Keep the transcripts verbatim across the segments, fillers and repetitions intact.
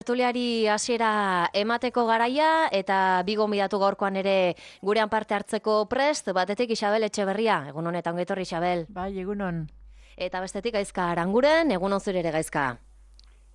Tertuliari hasiera emateko garaia eta bi gonbidatu gaurkoan ere gurean parte hartzeko prest, batetik Isabel Etxeberria, egun honetan ongi etorri Isabel. Bai, egunon. Eta bestetik Gaizka Aranguren, egun on zure ere Gaizka.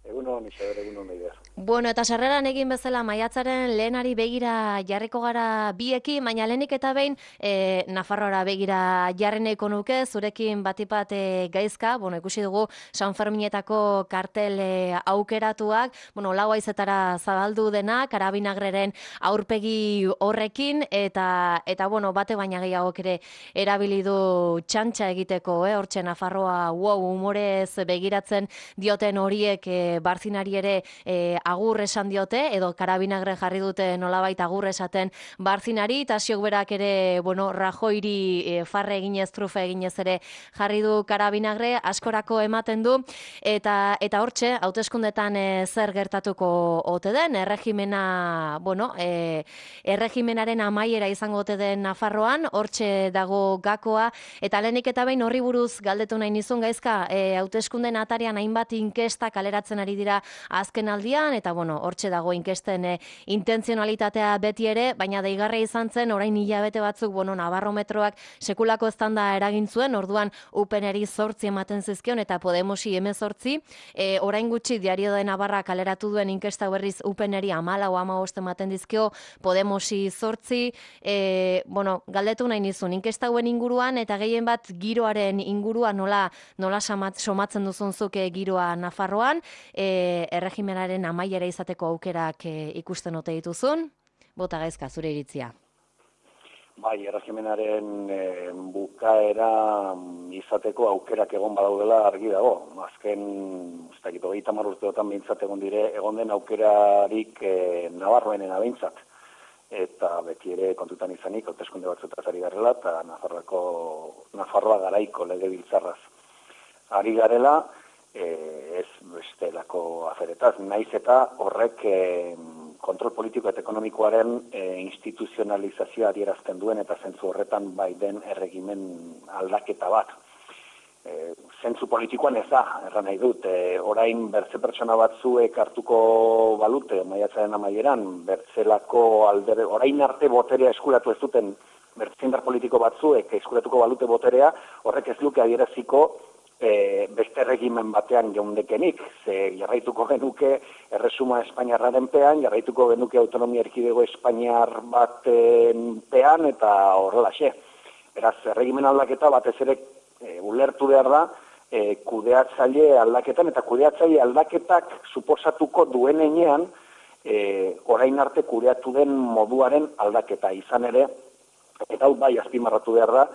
Egunon, Isabel, egunon meider. Bueno, eta sarreran egin bezala maiatzaren lehenari begira jarriko gara biekin, baina lehenik eta behin e, Nafarroara begira jarreneko nuke, zurekin batipat e, Gaizka, bueno, ikusi dugu San Ferminetako kartel e, aukeratuak, bueno, lau haizetara zabaldu dena, Karabinagreren aurpegi horrekin, eta, eta bueno, bate baina gehiagok ere erabili du txantxa egiteko, eh? Hortxe Nafarroa, wow, humorez begiratzen dioten horiek e, Barzinari ere e, agur esan diote, edo Karabinagre jarri dute nolabait agur esaten Barzinari, eta ziok berak ere, bueno, Rajoiri e, farre eginez, trufe eginez ere jarri du Karabinagre, askorako ematen du, eta eta hortxe, hauteskundetan e, zer gertatuko ote den, erregimena, bueno, e, erregimenaren amaiera izango ote den Nafarroan, hortxe dago gakoa, eta lehenik eta behin horri buruz galdetu nahi nizun Gaizka, e, hauteskunden atarian hainbat inkesta kaleratzen ari dira azken aldian, eta bueno, hortxe dago inkesten e, intentzionalitatea beti ere, baina deigarria izan zen, orain hilabete batzuk, bueno, Nabarrometroak sekulako eztanda eragin zuen, orduan U P N-eri zortzi ematen zizkion, eta Podemosi hemezortzi, e, orain gutxi Diario de Navarra kaleratu duen inkesta berriz U P N-eri hamalau hamabost ematen dizkio, Podemosi zortzi, e, bueno, galdetu nahi nizun, inkesta hauen inguruan, eta gehien bat giroaren inguruan nola, nola somatzen duzunzuk e, giroa Nafarroan, e, erregimenaren amaiera izateko aukerak e, ikusten ote dituzun, bota Gaizka, zure iritzia. Bai, erregimenaren e, bukaera izateko aukerak egon badaudela argi dago. Azken, ez dakit, hogeita hamar urteotan behintzat egon dire, egon den aukerarik e, Nabarroenena behintzat. Eta beti ere kontutan izanik, hauteskunde batzutaz ari garela, eta Nafarroako, Nafarroa garaiko legebiltzarraz ari garela, e, ez bestelako aferetaz, naiz eta horrek e, kontrol politiko eta ekonomikoaren e, instituzionalizazioa adierazten duen eta zentzu horretan bai den erregimen aldaketa bat. E, zentzu politikoan ez da, erran nahi dut, e, orain bertze pertsona batzuek hartuko balute, maiatzaren amaieran, bertzelako aldere, orain arte boterea eskuratu ez duten bertzindar politiko batzuek eskuratuko balute boterea, horrek ez luke adieraziko E, beste regimen batean geundekenik, ze jarraituko genuke erresuma Espainiarraren pean, jarraituko genuke autonomia erkidego Espainiar baten pean, eta horrelaxe. Beraz, regimen aldaketa batez ere e, ulertu behar da, e, kudeatzaile aldaketan, eta kudeatzaile aldaketak suposatuko duen enean, e, orain arte kudeatu den moduaren aldaketa izan ere, eta hau bai azpimarratu behar da,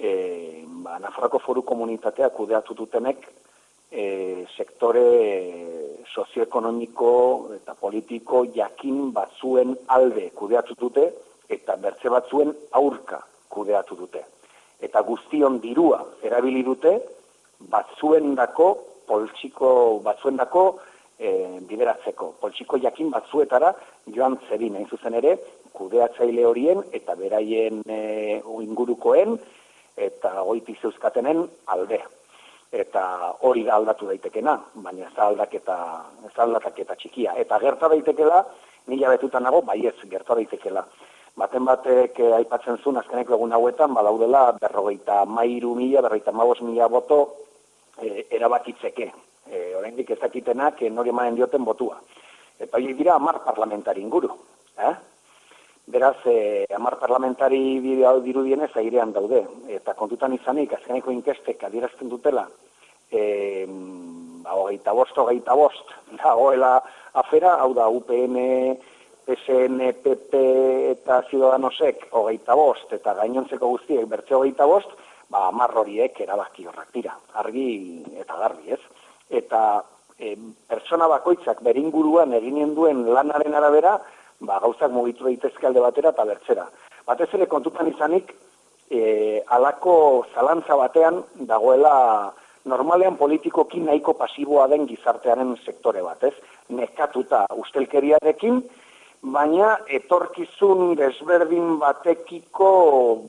E, ba, Nafarroako foru komunitatea kudeatu dutenek e, sektore e, sozioekonomiko eta politiko jakin batzuen alde kudeatu dute eta bertze batzuen aurka kudeatu dute. Eta guztion dirua erabili dute batzuendako, poltsiko batzuendako e, bideratzeko. Poltsiko jakin batzuetara joan zedin, hain zuzen ere, kudeatzaile horien eta beraien e, ingurukoen, eta goiti zeuzkatenen alde. Eta hori da aldatu daitekena, baina ez da aldaketa, ez da aldaketa txikia. Eta gerta daitekela, mila betutan nago, bai ez, gerta daitekela. Baten batek eh, aipatzen zuen azkeneko egun hauetan, badaudela berrogeita mairu mila, berrogeita mabos mila boto eh, erabakitzeke. Eh, oraindik ezakitenak eh, nori emanen dioten botua. Eta hori dira hamar parlamentari inguru. Eh? Beraz, eh, hamar parlamentari dirudienez airean daude. Eta kontutan izanik, azkeneko inkestek adierazten dutela, eh, hogeita bost, hogeita bost, dagoela afera, hau da U P N, P S N, P P eta Ciudadanosek hogeita bost, eta gainontzeko guztiek bertze hogeita bost, ba, hamar horiek erabaki horrak dira, argi eta garbi, ez? Eta eh, pertsona bakoitzak beringuruan eginen duen lanaren arabera, ba, gauzak mugitu daitezke alde batera eta bertzera. Batez ere kontutan izanik, e, alako zalantza batean dagoela normalean politikoki nahiko pasiboa den gizartearen sektore bat, ez? Nekatuta ustelkeriarekin, baina etorkizun desberdin batekiko,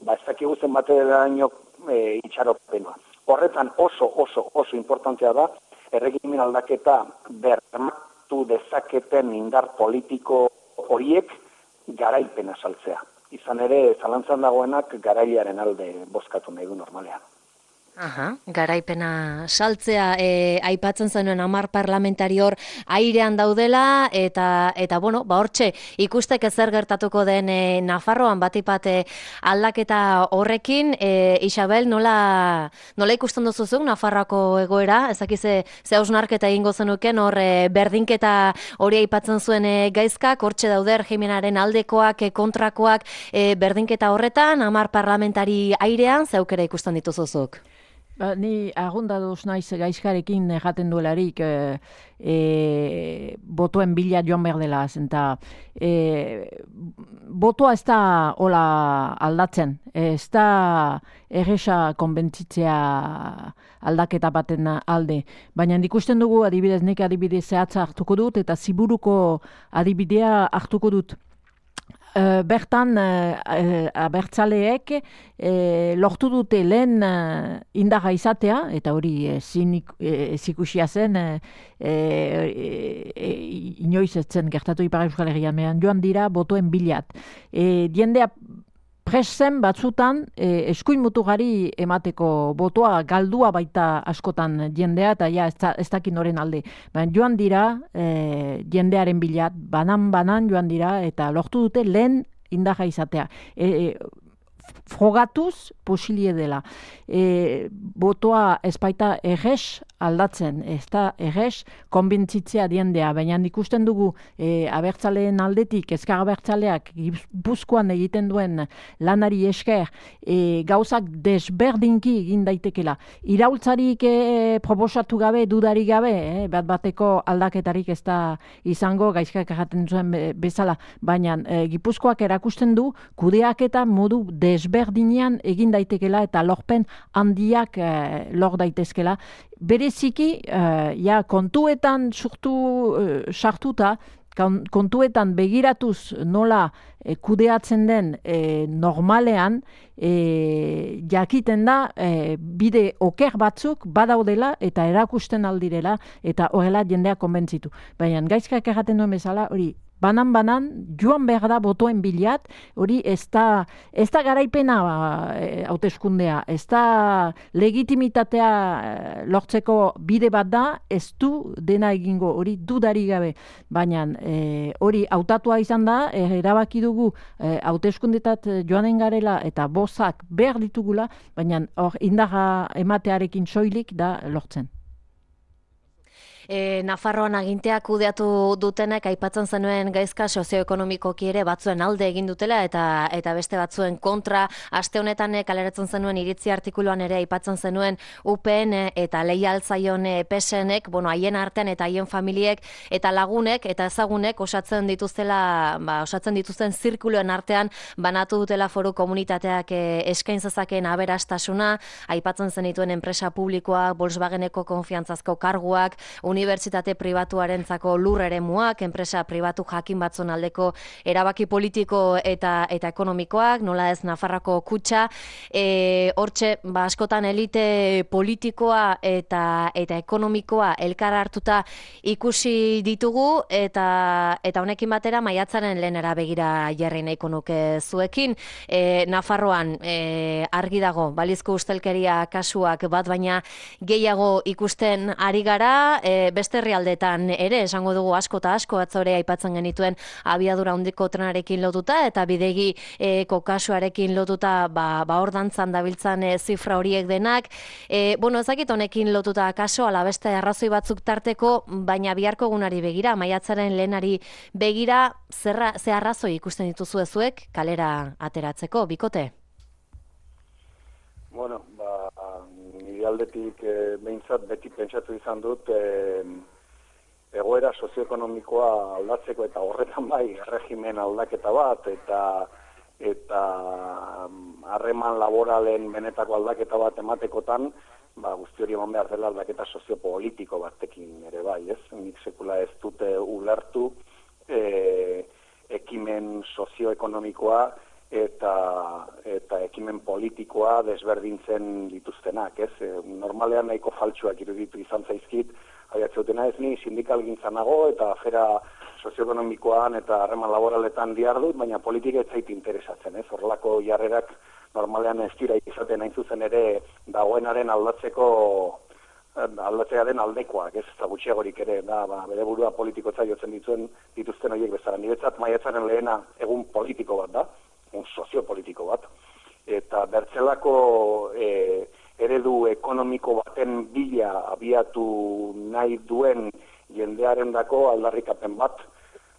ba, ez dakigu zen bateraino e, itxaropena. Horretan oso, oso, oso importantea da, erregimen aldaketa bermatu hartu dezaketen indar politiko horiek garaipena saltzea. Izan ere, zalantzan dagoenak garailearen alde bozkatu nahi du normalean. Aha, garaipena saltzea, e, aipatzen zenuen hamar parlamentari hor airean daudela, eta, eta bueno, ba hortxe, ikusteke zer gertatuko den e, Nafarroan batipat e, aldaketa horrekin, e, Isabel, nola, nola ikusten duzuzuk Nafarroako egoera, ezakize ze hausnarketa egingo zenuken, hor e, berdinketa hori aipatzen zuen e, gaizkak, hortxe daude regimenaren aldekoak, e, kontrakoak, e, berdinketa horretan, hamar parlamentari airean, ze aukera ikusten dituzuzuk? Ba, ni agundaduz naiz gaizkarekin jaten duelarik e, e, botoen bila joan behar dela, eta e, botoa ez da hola aldatzen, ez da erresa konbentzitzea aldaketa baten alde. Baina ikusten dugu, adibidez, nik adibidez zehatza hartuko dut, eta ziburuko adibidea hartuko dut. Uh, bertan uh, uh, abertzaleek uh, lortu dute lehen uh, indarra izatea, eta hori ezikusia uh, zen, uh, uh, uh, inoiz ez zen gertatu Ipar Euskal Herrian, joan dira botoen bilat. Uh, diendea presen batzutan e, eskuin mutugari emateko botoa galdua baita askotan jendea, eta ja ez, ez dakin noren alde. Baina joan dira e, jendearen bilat, banan-banan joan dira, eta lortu dute lehen indarra izatea. E, e, frogatuz posilie dela. E, botoa ez baita errez aldatzen, ez da errez konbentzitzea diendea, baina ikusten dugu e, abertzaleen aldetik, ezkar abertzaleak Gipuzkoan egiten duen lanari esker, e, gauzak desberdinki egin daitekela. Iraultzarik e, proposatu gabe, dudarik gabe, e, bat bateko aldaketarik ez da izango, gaizkak erraten zuen bezala, baina e, Gipuzkoak erakusten du kudeaketa modu desberdinean egin daitekela eta lorpen handiak e, lor daitezkela. Bereziki, uh, ja, kontuetan surtu, uh, sartuta, kontuetan begiratuz nola eh, kudeatzen den eh, normalean, eh, jakiten da eh, bide oker batzuk badaudela eta erakusten aldirela eta horrela jendea konbentzitu. Baina gaizkak erraten duen bezala, hori, banan-banan, joan behar da botoen bilat, hori ez da, ez da garaipena hauteskundea, e, ez da legitimitatea e, lortzeko bide bat da, ez du dena egingo, hori dudari gabe. Baina e, hori hautatua izan da, e, erabaki dugu e, hauteskundetat joanen garela eta bozak behar ditugula, baina hor indarra ematearekin soilik da lortzen. E, Nafarroan aginteak kudeatu dutenek aipatzen zenuen gaizka sozioekonomikoki ere batzuen alde egin dutela eta eta beste batzuen kontra. Aste honetan kaleratzen zenuen iritzi artikuluan ere aipatzen zenuen U P N eta leialtzaion P S Nek, bueno, haien artean eta haien familiek eta lagunek eta ezagunek osatzen dituztela, ba, osatzen dituzten zirkuluen artean banatu dutela foru komunitateak e, eskain zezakeen aberastasuna, aipatzen zenituen enpresa publikoak, Volkswageneko konfiantzazko karguak, unibertsitate pribatuarentzako lur eremuak, enpresa pribatu jakin batzun aldeko erabaki politiko eta eta ekonomikoak, nola ez Nafarroako kutxa, e, hortxe, ba, askotan elite politikoa eta eta ekonomikoa elkar hartuta ikusi ditugu, eta eta honekin batera maiatzaren lehenera begira jarri nahiko nuke zuekin. E, Nafarroan e, argi dago, balizko ustelkeria kasuak bat baina gehiago ikusten ari gara, e, beste herrialdetan ere, esango dugu asko eta asko, atzore aipatzen genituen abiadura handiko trenarekin lotuta eta bidegi eko kasuarekin lotuta ba, ba hor dantzan dabiltzan e, zifra horiek denak. E, bueno, ezakit honekin lotuta kaso, ala beste arrazoi batzuk tarteko, baina biharko egunari begira, maiatzaren lehenari begira, zerra, ze arrazoi ikusten dituzu ezuek kalera ateratzeko, bikote? Bueno, ba, nire aldetik e, behintzat beti pentsatu izan dut e, egoera sozioekonomikoa aldatzeko eta horretan bai regimen aldaketa bat eta eta harreman laboralen benetako aldaketa bat ematekotan, ba, guzti hori eman behar dela aldaketa soziopolitiko batekin ere bai, ez? Nik sekula ez dute ulertu e, ekimen sozioekonomikoa eta eta ekimen politikoa desberdintzen dituztenak, ez? E, normalean nahiko faltsuak iruditu izan zaizkit, aiatzeutena ez ni sindikal gintzanago eta afera sozioekonomikoan eta harreman laboraletan diardut, baina politika ez zait interesatzen, ez? Horrelako jarrerak normalean ez dira izaten hain zuzen ere dagoenaren aldatzeko aldatzearen aldekoak, ez da gutxiagorik ere, da, ba, bere burua politikotza jotzen dituen dituzten horiek bezala. Niretzat maiatzaren lehena egun politiko bat da, un soziopolitiko bat, eta bertzelako e, eredu ekonomiko baten bila abiatu nahi duen jendearen dako aldarrikapen bat,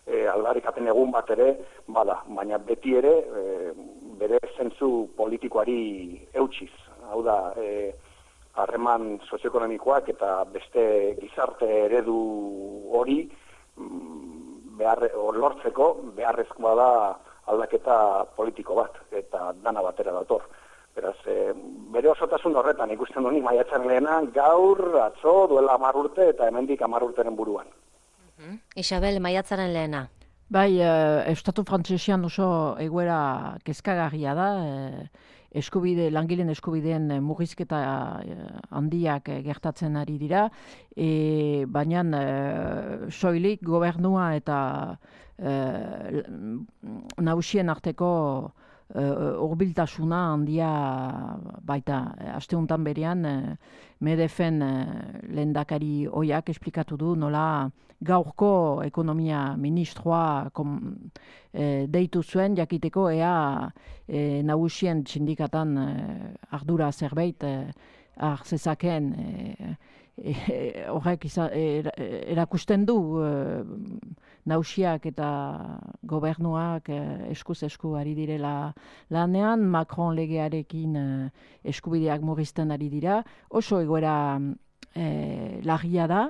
e, aldarrikapen egun bat ere, bada, baina beti ere e, bere zentzu politikoari eutsiz. Hau da, e, harreman sozioekonomikoak eta beste gizarte eredu hori behar, lortzeko beharrezkoa da aldaketa politiko bat, eta dana batera dator. Beraz, e, bere osotasun horretan ikusten duni maiatzaren lehena gaur, atzo, duela hamar urte eta hemendik hamar urteren buruan. Uh-huh. Isabel, maiatzaren lehena. Bai, eh, Estatu Frantsesian oso egoera kezkagarria da, eh, eskubide, langileen eskubideen murrizketa handiak gertatzen ari dira, e, baina e, soilik gobernua eta e, nagusien arteko hurbiltasuna handia baita. Aste honetan berean, Medefen lehendakari ohiak esplikatu du nola gaurko ekonomia ministroa kom, e, deitu zuen jakiteko ea e, nagusien sindikatan e, ardura zerbait e, har zezakeen e, e, horrek er, erakusten du e, nausiak eta gobernuak e, eskuz esku ari direla lanean, Macron legearekin e, eskubideak murrizten ari dira, oso egoera e, larria da,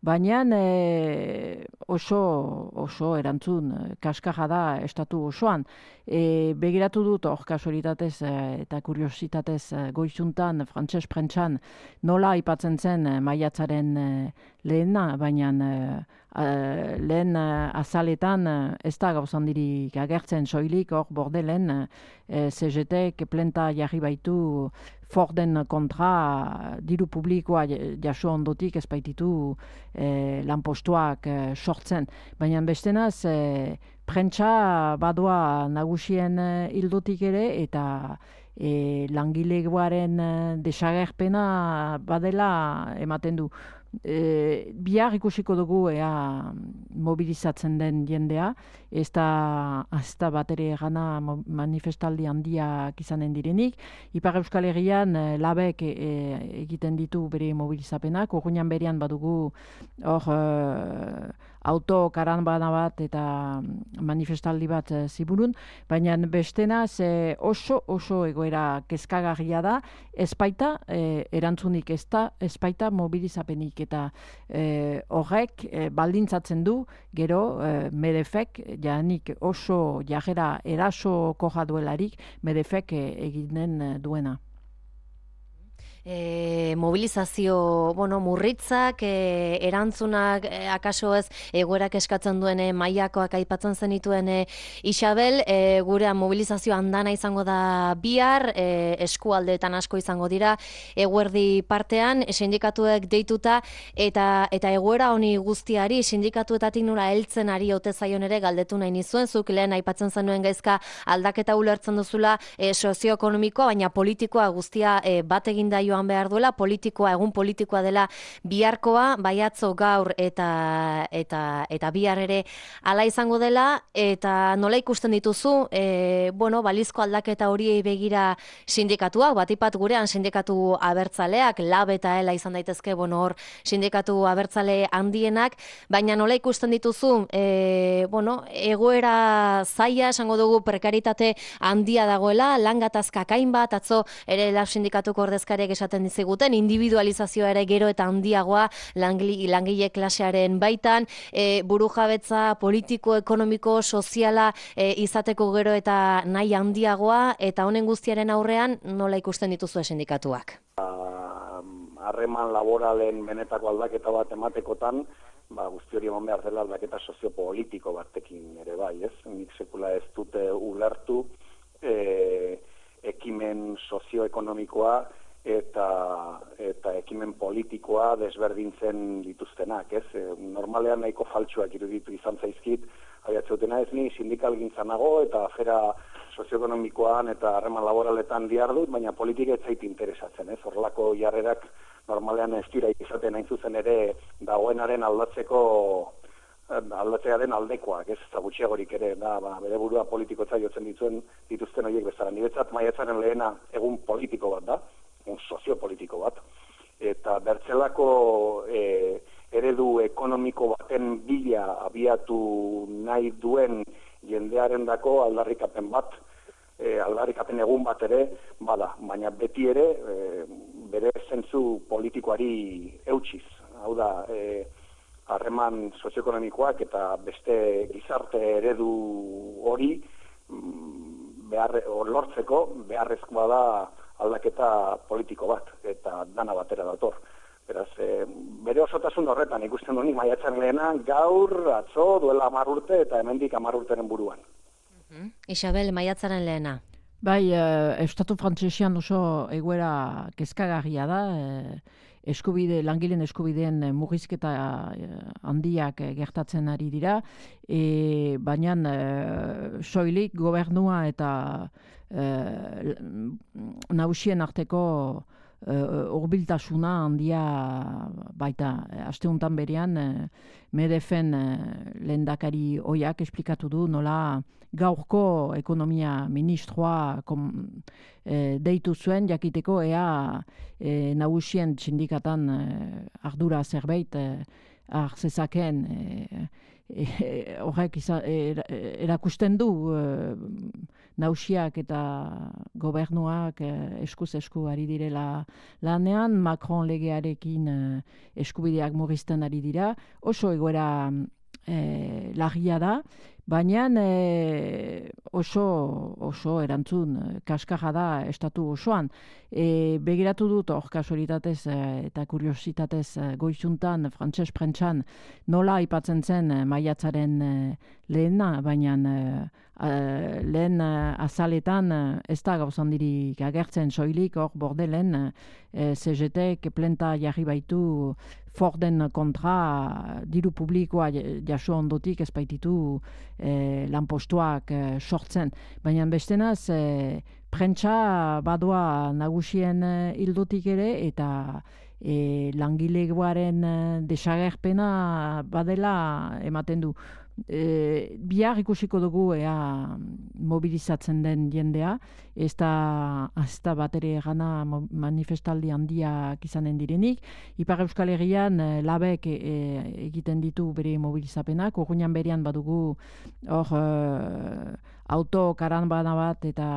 baina e, oso, oso erantzun kaskarra da estatu osoan. E, begiratu dut hor kasualitatez e, eta kuriositatez e, goizuntan, frantses prentsan, nola aipatzen zen e, maiatzaren e, lehena, baina e, lehen e, azaletan e, ez da gauzandirik agertzen soilik, hor Bordelen e, C G T-ek plenta jarri baitu Forden kontra diru publikoa jaso ondotik ez baititu e, lanpostuak e, sortzen. Baina bestenaz, e, prentsa badoa nagusien e, hildotik ere eta e, langilegoaren e, desagerpena badela ematen du. E, bihar ikusiko dugu ea mobilizatzen den jendea, ez da, ez da bat ere gana manifestaldi handiak izanen direnik. Ipar Euskal Herrian e, labek e, egiten ditu bere mobilizapenak, urruinan berean badugu hor e, auto karanbana bat eta manifestaldi bat e, ziburun, baina bestenaz e, oso oso egoera kezkagarria da, ezpaita e, erantzunik ez da, ezpaita mobilizapenik eta e, horrek e, baldintzatzen du gero e, Medefek janik oso jarrera eraso koja duelarik Medefek e, eginen duena. E, mobilizazio, bueno, murritzak, e, erantzunak, e, akaso ez, egoerak eskatzen duen e, mailakoak aipatzen zenituen e, Isabel, e, gurean mobilizazio handana izango da bihar, e, eskualdeetan asko izango dira, eguerdi partean, sindikatuek deituta, eta eta egoera honi guztiari, sindikatuetatik nola heltzen ari ote zaion ere galdetu nahi nizuen, zuk lehen aipatzen zenuen gaizka aldaketa ulertzen duzula e, sozioekonomikoa, baina politikoa guztia e, bat egin da joan behar duela, politikoa, egun politikoa dela biharkoa, baiatzo gaur eta eta eta bihar ere hala izango dela, eta nola ikusten dituzu, e, bueno, balizko aldaketa horiei begira sindikatuak, batipat gurean sindikatu abertzaleak, lab eta ela izan daitezke, bueno, hor sindikatu abertzale handienak, baina nola ikusten dituzu, e, bueno, egoera zaila, esango dugu prekaritate handia dagoela, lan gatazkak hainbat, atzo ere lab sindikatuko ordezkariek esaten diziguten, individualizazioa ere gero eta handiagoa langile, langile klasearen baitan, e, burujabetza politiko, ekonomiko, soziala e, izateko gero eta nahi handiagoa, eta honen guztiaren aurrean nola ikusten dituzu sindikatuak? Harreman laboralen benetako aldaketa bat ematekotan, ba, guzti hori eman behar dela aldaketa soziopolitiko batekin ere bai, ez? Nik sekula ez dute ulertu, e, ekonomikoa eta eta ekimen politikoa desberdintzen dituztenak, ez? E, normalean nahiko faltsuak iruditu izan zaizkit, abiatzeutena ez ni sindikalgintzan nago eta afera sozioekonomikoan eta harreman laboraletan dihardut, baina politika ez zait interesatzen, ez? Horrelako jarrerak normalean ez dira izaten hain zuzen ere dagoenaren aldatzeko aldatzearen aldekoak, ez eta gutxiagorik ere, da, ba, bere burua politikotza jotzen dituen dituzten horiek bezala. Niretzat maiatzaren lehena egun politiko bat da, un soziopolitiko bat, eta bertzelako e, eredu ekonomiko baten bila abiatu nahi duen jendearen dako aldarrikapen bat, e, aldarrikapen egun bat ere, bada, baina beti ere e, bere zentzu politikoari eutxiz. Hau da, e, harreman sozioekonomikoak eta beste gizarte eredu hori behar, lortzeko beharrezkoa da aldaketa politiko bat, eta dana batera dator. Beraz, e, bere osotasun horretan ikusten duni maiatzaren lehena gaur, atzo, duela hamar urte eta hemendik hamar urteren buruan. Uh-huh. Isabel, maiatzaren lehena. Bai, eh, Estatu Frantsesian oso egoera kezkagarria da, eh, eskubide, langileen eskubideen murrizketa handiak gertatzen ari dira, e, baina e, soilik gobernua eta e, nagusien arteko e, hurbiltasuna handia baita. Asteuntan berean e, Medefen e, lehendakari oiak esplikatu du nola gaurko ekonomia ministroa kom, e, deitu zuen jakiteko ea e, nagusien sindikatan e, ardura zerbait e, har zezaken e, e, horrek iza, e, erakusten du e, nagusiak eta gobernuak e, eskuz esku ari direla lanean, Macron legearekin e, eskubideak murrizten ari dira, oso egoera e, larria da, baina e, oso, oso erantzun kaskarra da estatu osoan. E, begiratu dut hor kasualitatez e, eta kuriositatez e, goizuntan frantses prentsan nola aipatzen zen e, maiatzaren e, lehena, baina e, e, lehen e, azaletan e, ez da gauzandirik agertzen soilik hor bordelen e, C G T-ek plenta jarri baitu Forden kontra diru publikoa jaso ondotik ez baititu e, lanpostuak e, sortzen. Baina bestenaz, e, prentsa badoa nagusien e, hildotik ere eta e, langilegoaren e, desagerpena badela ematen du. E, bihar ikusiko dugu ea mobilizatzen den jendea, ez da, ez da bat ere gana manifestaldi handiak izanen direnik. Ipar Euskal Herrian e, labek e, egiten ditu bere mobilizapenak, urruñan berean badugu hor e, auto karanbana bat eta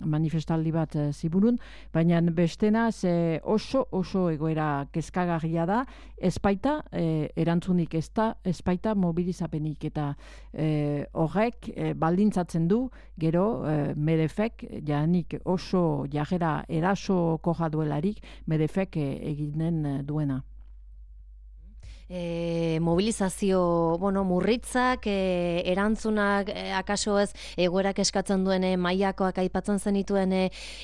manifestaldi bat e, ziburun, baina bestenaz e, oso oso egoera kezkagarria da, ezpaita e, erantzunik ez da, ezpaita mobilizapenik eta e, horrek e, baldintzatzen du gero e, Medefek janik oso jarrera eraso koja duelarik Medefek e, eginen duena. E, mobilizazio, bueno, murritzak, e, erantzunak, e, akaso ez, egoerak eskatzen duen e, mailakoak aipatzen zenituen e,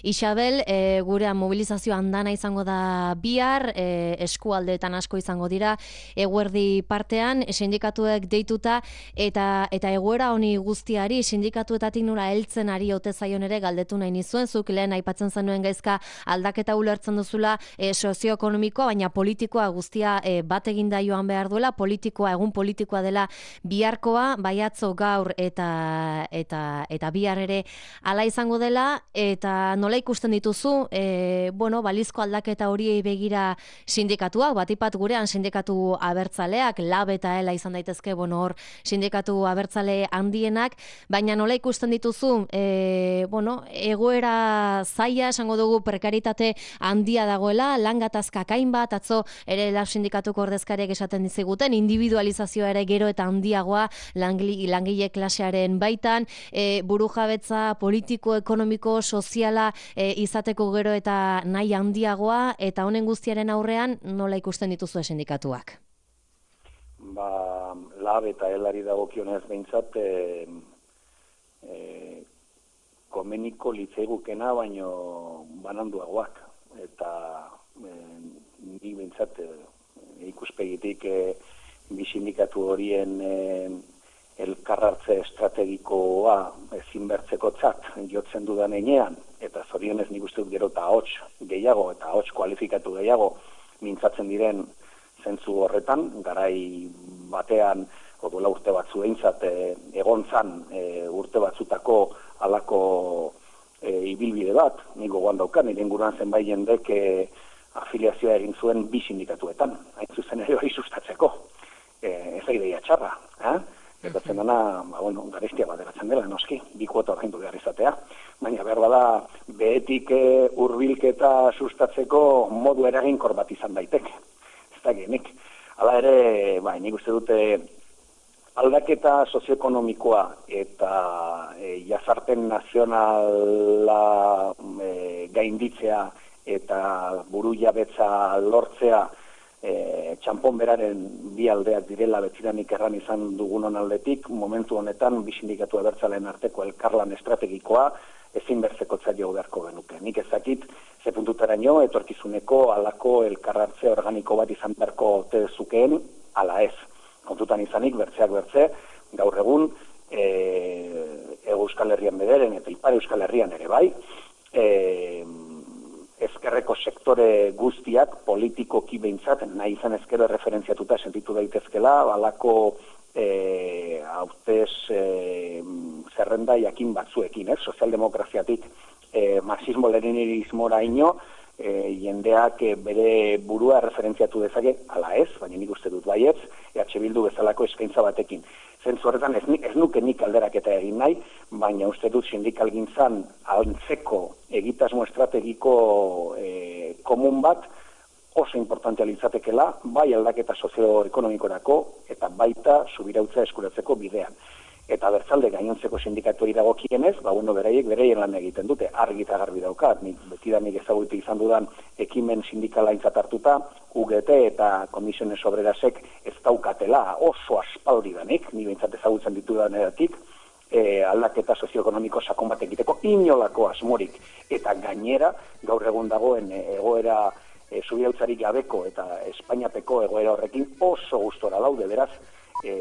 Isabel, e, gure mobilizazio andana izango da bihar, e, eskualdeetan asko izango dira, eguerdi partean, sindikatuek deituta, eta eta egoera honi guztiari, sindikatuetatik nola heltzen ari ote zaion ere galdetu nahi nizuen, zuk lehen aipatzen zenuen gaizka aldaketa ulertzen duzula e, sozioekonomikoa, baina politikoa guztia e, bat eginda joan behar duela, politikoa, egun politikoa dela biharkoa, baiatzo gaur eta eta eta bihar ere hala izango dela, eta nola ikusten dituzu, e, bueno, balizko aldaketa horiei begira sindikatuak, batipat gurean sindikatu abertzaleak, lab eta ela izan daitezke, bueno, hor sindikatu abertzale handienak, baina nola ikusten dituzu, e, bueno, egoera zaila, esango dugu prekaritate handia dagoela, lan gatazkak hainbat, atzo ere lab sindikatuko ordezkariak esaten diziguten, individualizazioa ere gero eta handiagoa langile, langile klasearen baitan, e, burujabetza politiko, ekonomiko, soziala e, izateko gero eta nahi handiagoa, eta honen guztiaren aurrean nola ikusten dituzue sindikatuak? Ba, lab eta elari dagokionez behintzat, e, e, komeniko litzaigukena baino bananduagoak. Eta e, ni bintzat e, ikuspegitik e, bi sindikatu horien e, elkarrartze estrategikoa ezinbertzeko tzat jotzen dudan enean, eta zorionez nik uste dut gero eta hots gehiago eta hots kualifikatu gehiago mintzatzen diren zentzu horretan, garai batean odola urte batzu eintzat e, egon zan e, urte batzutako halako e, ibilbide bat, nik gogoan daukan, nire inguruan zenbait jendek e, afiliazioa egin zuen bi sindikatuetan, hain zuzen ere hori sustatzeko. E, ez da ideia txarra, eh? Gertatzen dena, ba, bueno, garestia bat eratzen dela, noski, bi kuota ordaindu behar izatea, baina behar bada behetik e, hurbilketa sustatzeko modu eraginkor bat izan daiteke. Ez da genik. Hala ere, bai, nik uste dute aldaketa sozioekonomikoa eta e, jazarpen nazionala e, gainditzea eta buru jabetza lortzea e, txanpon beraren bi aldeak direla betiranik erran izan dugunon aldetik, momentu honetan bi sindikatu abertzaleen arteko elkarlan estrategikoa ezinbertzeko zaio beharko genuke. Nik ezakit, ze puntutaraino, etorkizuneko halako elkarratze organiko bat izan beharko ote zukeen, ala ez. Kontutan izanik, bertzeak bertze, gaur egun, e, Euskal Herrian bederen eta Ipar Euskal Herrian ere bai, e, ezkerreko sektore guztiak politikoki behintzat, nahi izan ezkero referentziatuta sentitu daitezkela, balako e, hautez e, zerrenda jakin batzuekin, ez? Sozialdemokraziatik e, marxismo-leninismora ino, e, jendeak e, bere burua referentziatu dezake, ala ez, baina nik uste dut baietz, E H Bildu bezalako eskaintza batekin. Zentzu horretan ez, ez nuke nik alderaketa egin nahi, baina uste dut sindikalgintzan antzeko egitasmo estrategiko e, komun bat oso importantea litzatekela, bai aldaketa sozioekonomikorako eta baita subirautza eskuratzeko bidean. Eta bertzalde gainontzeko sindikatuei dagokienez, ba bueno, beraiek beraien lan egiten dute, argi eta garbi daukat, nik betidanik ezagutu izan dudan ekimen sindikala aintzat hartuta, U G T eta Komisiones Obrerasek ez daukatela oso aspaldi danik, ni behintzat ezagutzen ditudan eratik, e, aldaketa sozioekonomiko sakon bat egiteko inolako asmorik, eta gainera gaur egun dagoen egoera e, subirautzarik gabeko eta Espainiapeko egoera horrekin oso gustora daude, beraz, E,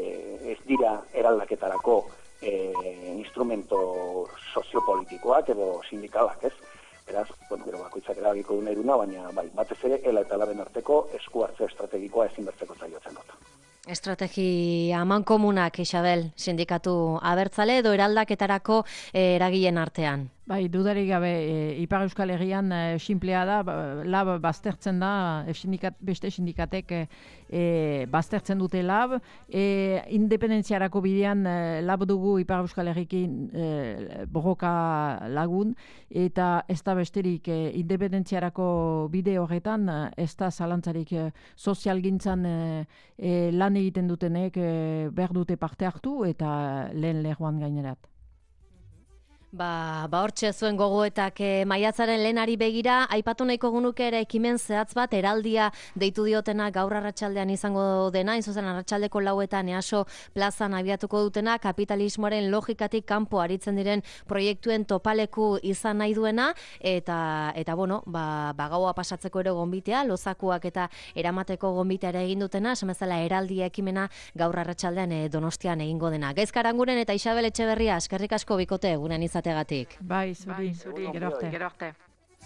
ez dira eraldaketarako e, instrumento soziopolitikoak edo sindikalak, ez? Beraz, bueno, gero bakoitzak erabiko du nahi duna, baina bai, batez ere, ela eta laben arteko esku hartze estrategikoa ezinbertzeko zaiotzen dut. Estrategia amankomunak, Isabel, sindikatu abertzale edo eraldaketarako e, eragileen artean? Bai, dudarik gabe, e, Ipar Euskal Herrian e, sinplea da, lab baztertzen da, e, sindikat, beste sindikatek e, e, baztertzen dute lab, e, independentziarako bidean e, lab dugu Ipar Euskal Herrikin e, borroka lagun, eta ez da besterik e, independentziarako bide horretan, ez da zalantzarik e, sozialgintzan e, e, lan egiten dutenek e, behar dute parte hartu eta lehen lehuan gainerat. Ba, ba hortxe zuen gogoetak e, maiatzaren lehenari begira, aipatu nahiko gunuke ere ekimen zehatz bat, eraldia deitu diotena gaur arratsaldean izango dena, inzuzen arratsaldeko lauetan easo plazan abiatuko dutena, kapitalismoaren logikatik kanpo aritzen diren proiektuen topaleku izan nahi duena, eta, eta bueno, ba, ba gaua pasatzeko ere gonbitea, lozakuak eta eramateko gonbitea ere egin dutena, esamezala eraldia ekimena gaur arratsaldean e, Donostian egingo dena. Gaizka Aranguren eta Isabel Etxeberria, eskerrik asko bikote, gurean izategatik. Bai, zuri, zuri, gero arte.